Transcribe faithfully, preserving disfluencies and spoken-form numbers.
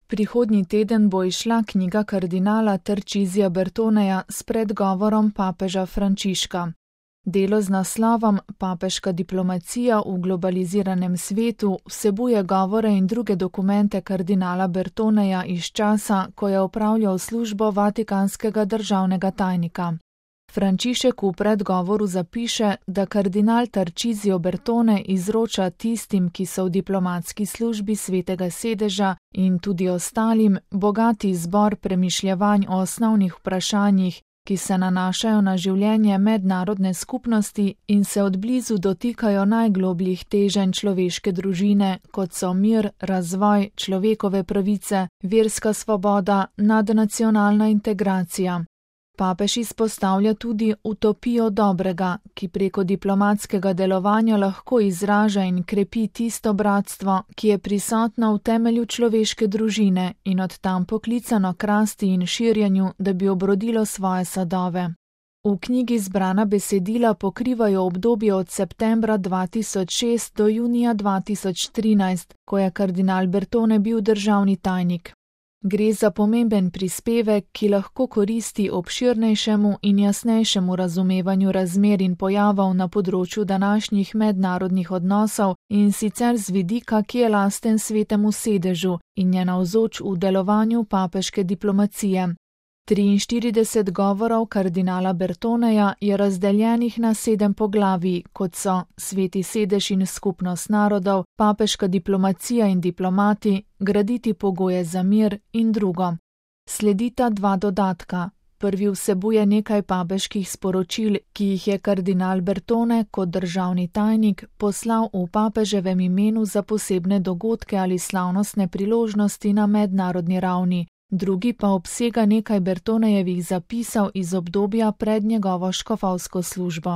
Prihodnji teden bo izšla knjiga kardinala Tarcisija Bertoneja s predgovorom papeža Frančiška. Delo z naslovom Papeška diplomacija v globaliziranem svetu vsebuje govore in druge dokumente kardinala Bertoneja iz časa, ko je opravljal službo vatikanskega državnega tajnika. Frančišek v predgovoru zapiše, da kardinal Tarcisio Bertone izroča tistim, ki so v diplomatski službi Svetega sedeža in tudi ostalim, bogati zbor premišljevanj o osnovnih vprašanjih, ki se nanašajo na življenje mednarodne skupnosti in se odblizu dotikajo najglobljih teženj človeške družine, kot so mir, razvoj, človekove pravice, verska svoboda, nadnacionalna integracija. Papež izpostavlja tudi utopijo dobrega, ki preko diplomatskega delovanja lahko izraža in krepi tisto bratstvo, ki je prisotno v temelju človeške družine in od tam poklicano k rasti in širjenju, da bi obrodilo svoje sadove. V knjigi zbrana besedila pokrivajo obdobje od septembra dva tisoč šest do junija dva tisoč trinajst, ko je kardinal Bertone bil državni tajnik. Gre za pomemben prispevek, ki lahko koristi obširnejšemu in jasnejšemu razumevanju razmer in pojavov na področju današnjih mednarodnih odnosov in sicer z vidika, ki je lasten Svetemu sedežu in je navzoč v delovanju papeške diplomacije. triinštirideset govorov kardinala Bertoneja je razdeljenih na sedem poglavij, kot so Sveti sedež in skupnost narodov, papeška diplomacija in diplomati, graditi pogoje za mir in drugo. Sledita dva dodatka. Prvi vsebuje nekaj papeških sporočil, ki jih je kardinal Bertone kot državni tajnik poslal v papeževem imenu za posebne dogodke ali slavnostne priložnosti na mednarodni ravni. Drugi pa obsega nekaj Bertonejevih zapisov iz obdobja pred njegovo škofovsko službo.